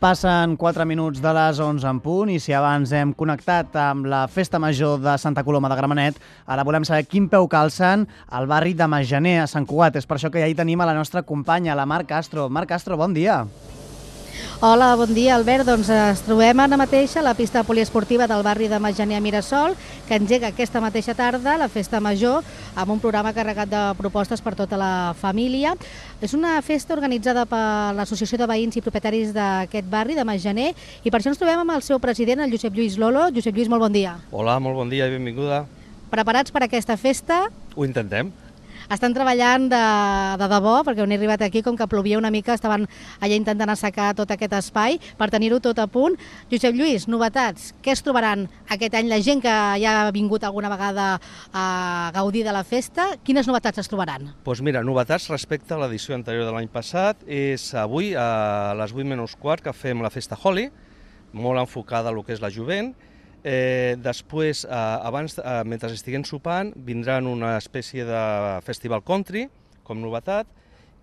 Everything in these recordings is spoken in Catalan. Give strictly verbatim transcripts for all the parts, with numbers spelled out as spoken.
Passen quatre minuts de les onze en punt i si abans hem connectat amb la Festa Major de Santa Coloma de Gramenet, ara volem saber quin peu calcen al barri de Masgener, a Sant Cugat. És per això que ja hi tenim a la nostra companya, la Mar Castro. Mar Castro, bon dia. Hola, bon dia, Albert. Doncs ens trobem ara mateix a la pista poliesportiva del barri de Masgener a Mirasol, que engega aquesta mateixa tarda la Festa Major amb un programa carregat de propostes per tota la família. És una festa organitzada per l'Associació de Veïns i Propietaris d'aquest barri de Masgener i per això ens trobem amb el seu president, el Josep Lluís Lolo. Josep Lluís, molt bon dia. Hola, molt bon dia i benvinguda. Preparats per aquesta festa? Ho intentem. Estan treballant de, de debò, perquè on he arribat aquí, com que plovia una mica, estaven allà intentant assecar tot aquest espai per tenir-ho tot a punt. Josep Lluís, novetats, què es trobaran aquest any? La gent que ja ha vingut alguna vegada a gaudir de la festa, quines novetats es trobaran? Doncs mira, novetats respecte a l'edició anterior de l'any passat és avui a les vuit menys quart que fem la festa Holi, molt enfocada a lo que és la jovent. Eh, després, eh, abans, eh, mentre estiguem sopant, vindran una espècie de festival country, com novetat,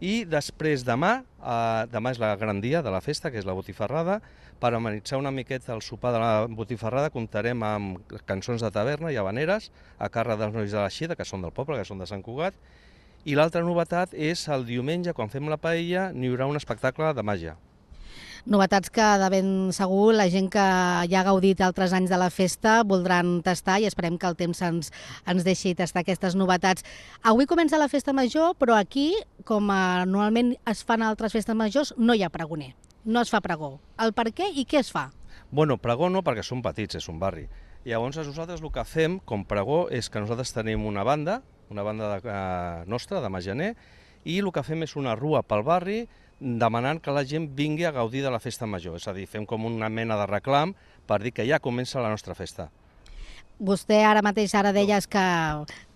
i després demà, eh, demà és la gran dia de la festa, que és la botifarrada. Per amenitzar una miqueta el sopar de la botifarrada comptarem amb cançons de taverna i habaneres a càrrec dels nois de la Xida, que són del poble, que són de Sant Cugat. I l'altra novetat és el diumenge, quan fem la paella, n'hi haurà un espectacle de màgia. Novetats que de ben segur la gent que ja ha gaudit altres anys de la festa voldran tastar i esperem que el temps ens, ens deixi tastar aquestes novetats. Avui comença la festa major, però aquí, com a, normalment es fan altres festes majors, no hi ha pregoner, no es fa pregó. El per què i què es fa? Bueno, pregó no, perquè som petits, és un barri. Llavors nosaltres el que fem com pregó és que nosaltres tenim una banda, una banda de, eh, nostra, de Masgener, i el que fem és una rua pel barri demanant que la gent vingui a gaudir de la festa major. És a dir, fem com una mena de reclam per dir que ja comença la nostra festa. Vostè ara mateix ara deies que...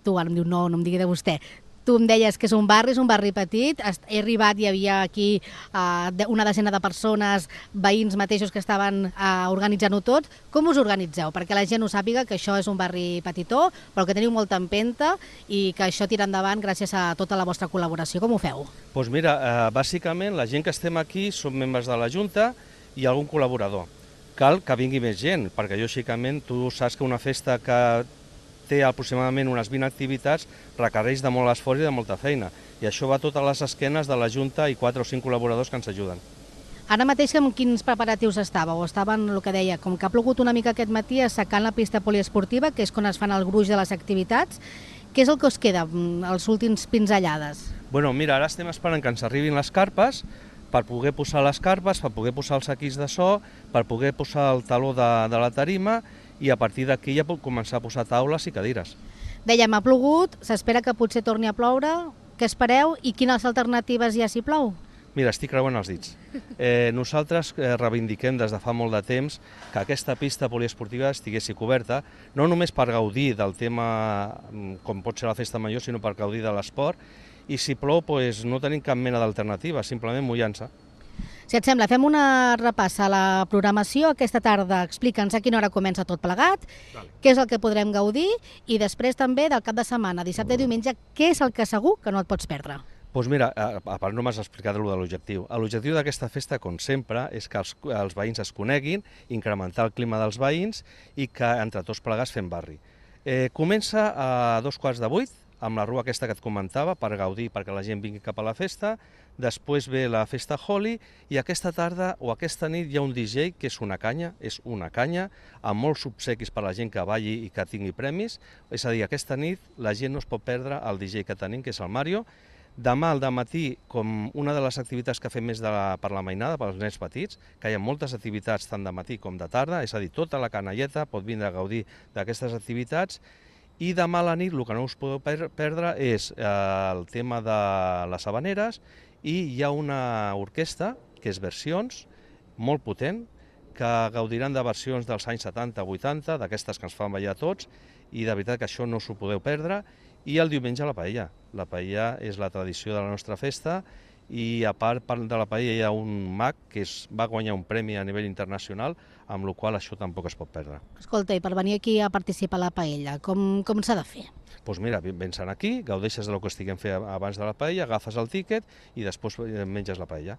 Tu ara em diu no, no em digui de vostè. Tu em deies que és un barri, és un barri petit. He arribat, hi havia aquí uh, una desena de persones, veïns mateixos que estaven uh, organitzant-ho tot. Com us organitzeu? Perquè la gent ho sàpiga que això és un barri petitó, però que teniu molta empenta i que això tira endavant gràcies a tota la vostra col·laboració. Com ho feu? Doncs mira, uh, bàsicament la gent que estem aquí som membres de la Junta i algun col·laborador. Cal que vingui més gent, perquè lògicament tu saps que una festa que té aproximadament unes vint activitats, requereix de molt esforç i de molta feina. I això va a totes les esquenes de la Junta i quatre o cinc col·laboradors que ens ajuden. Ara mateix amb quins preparatius estàveu? Estaven, el que deia, com que ha plogut una mica aquest matí, assecant la pista poliesportiva, que és quan es fan el gruix de les activitats. Què és el que us queda, els últims pinzellades? Bueno, mira, ara estem esperant que ens arribin les carpes, per poder posar les carpes, per poder posar els equips de so, per poder posar el taló de, de la tarima, i a partir d'aquí ja puc començar a posar taules i cadires. Dèiem, ha plogut, s'espera que potser torni a ploure. Què espereu i quines alternatives hi ha si plou? Mira, estic creuant els dits. Eh, nosaltres eh, reivindiquem des de fa molt de temps que aquesta pista poliesportiva estiguessi coberta, no només per gaudir del tema com pot ser la festa major, sinó per gaudir de l'esport, i si plou doncs, no tenim cap mena d'alternativa, simplement mullant-se. Si et sembla, fem una repassa a la programació aquesta tarda. Explica'ns a quina hora comença tot plegat, vale. Què és el que podrem gaudir i després també del cap de setmana, dissabte i diumenge, què és el que segur que no et pots perdre? Doncs mira, a part no m'has explicat de l'objectiu. L'objectiu d'aquesta festa, com sempre, és que els, els veïns es coneguin, incrementar el clima dels veïns i que entre tots plegats fem barri. Eh, comença a dos quarts de vuit, amb la rua aquesta que et comentava, per gaudir, perquè la gent vingui cap a la festa. Després ve la festa Holi i aquesta tarda o aquesta nit hi ha un D J que és una canya, és una canya, amb molts obsequis per a la gent que balli i que tingui premis. És a dir, aquesta nit la gent no es pot perdre el D J que tenim, que és el Mario. Demà al dematí, com una de les activitats que fem més de la, per la mainada, pels nens petits, que hi ha moltes activitats tant de matí com de tarda, és a dir, tota la canalleta pot vindre a gaudir d'aquestes activitats. I demà a la nit el que no us podeu perdre és eh, el tema de les habaneres i hi ha una orquestra, que és Versions, molt potent, que gaudiran de versions dels anys setanta vuitanta, d'aquestes que ens fan ballar tots, i de veritat que això no us ho podeu perdre. I el diumenge la paella. La paella és la tradició de la nostra festa i a part de la paella hi ha un mag que es va guanyar un premi a nivell internacional, amb la qual això tampoc es pot perdre. Escolta, i per venir aquí a participar a la paella, com, com s'ha de fer? Doncs mira, vens aquí, gaudeixes del que estiguem fent abans de la paella, agafes el tíquet i després menges la paella.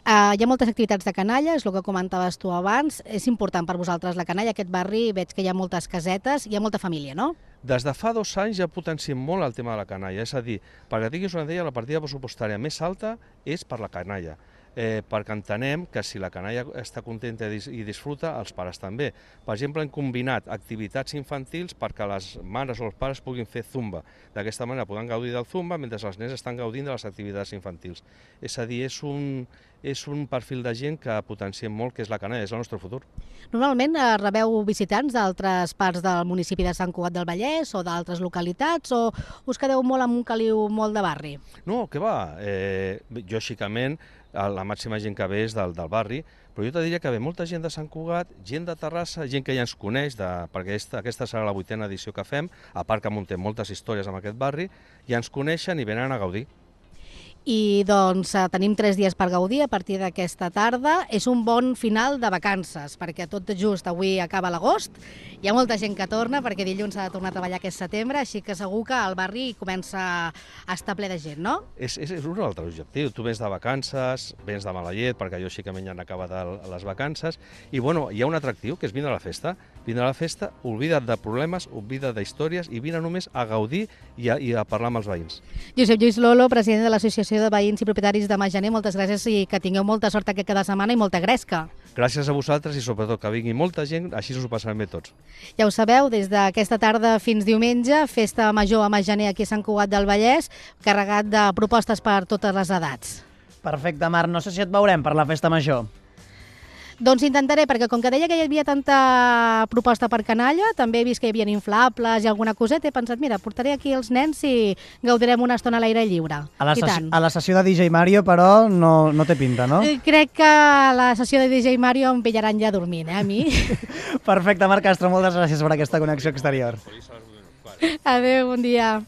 Uh, hi ha moltes activitats de canalla, és el que comentaves tu abans. És important per vosaltres la canalla, aquest barri, veig que hi ha moltes casetes, hi ha molta família, no? Des de fa dos anys ja potenciem molt el tema de la canalla, és a dir, perquè tinguis una idea, la partida pressupostària més alta és per la canalla, eh, perquè entenem que si la canalla està contenta i disfruta, els pares també. Per exemple, hem combinat activitats infantils perquè les mares o els pares puguin fer zumba. D'aquesta manera poden gaudir del zumba mentre els nens estan gaudint de les activitats infantils. És a dir, és un, és un perfil de gent que potenciem molt, que és la canalla, és el nostre futur. Normalment eh, rebeu visitants d'altres parts del municipi de Sant Cugat del Vallès o d'altres localitats, o us quedeu molt amb un caliu molt de barri? No, què va? Eh, lògicament, la màxima gent que ve és del, del barri, però jo te diria que ve molta gent de Sant Cugat, gent de Terrassa, gent que ja ens coneix, de, perquè aquesta, aquesta serà la vuitena edició que fem, a part que muntem moltes històries en aquest barri, ja ens coneixen i venen a gaudir. I doncs tenim tres dies per gaudir a partir d'aquesta tarda. És un bon final de vacances, perquè tot just avui acaba l'agost. Hi ha molta gent que torna, perquè dilluns s'ha de tornar a treballar aquest setembre, així que segur que el barri comença a estar ple de gent, no? És, és, és un altre objectiu. Tu vens de vacances, vens de mala llet, perquè lògicament ja han acabat les vacances, i bueno, hi ha un atractiu, que és vindre a la festa. Vindre a la festa, oblida't de problemes, oblida't d'històries, i vine només a gaudir i a, i a parlar amb els veïns. Josep Lluís Lolo, president de l'Associació de Veïns i Propietaris de Majaner, moltes gràcies i que tingueu molta sort aquest cada setmana i molta gresca. Gràcies a vosaltres i sobretot que vingui molta gent, així us ho passarem bé tots. Ja ho sabeu, des d'aquesta tarda fins diumenge, festa major a Majaner aquí a Sant Cugat del Vallès, carregat de propostes per totes les edats. Perfecte, Marc. No sé si et veurem per la festa major. Doncs intentaré, perquè com que deia que hi havia tanta proposta per canalla, també he vist que hi havia inflables i alguna coseta, he pensat, mira, portaré aquí els nens i gaudirem una estona a l'aire lliure. A la, I sessió, tant. a la sessió de D J Mario, però, no, no té pinta, no? Eh, Crec que a la sessió de D J Mario em pillaran ja dormint, eh, a mi. Perfecte, Marc Castro, moltes gràcies per aquesta connexió exterior. Adéu, bon dia.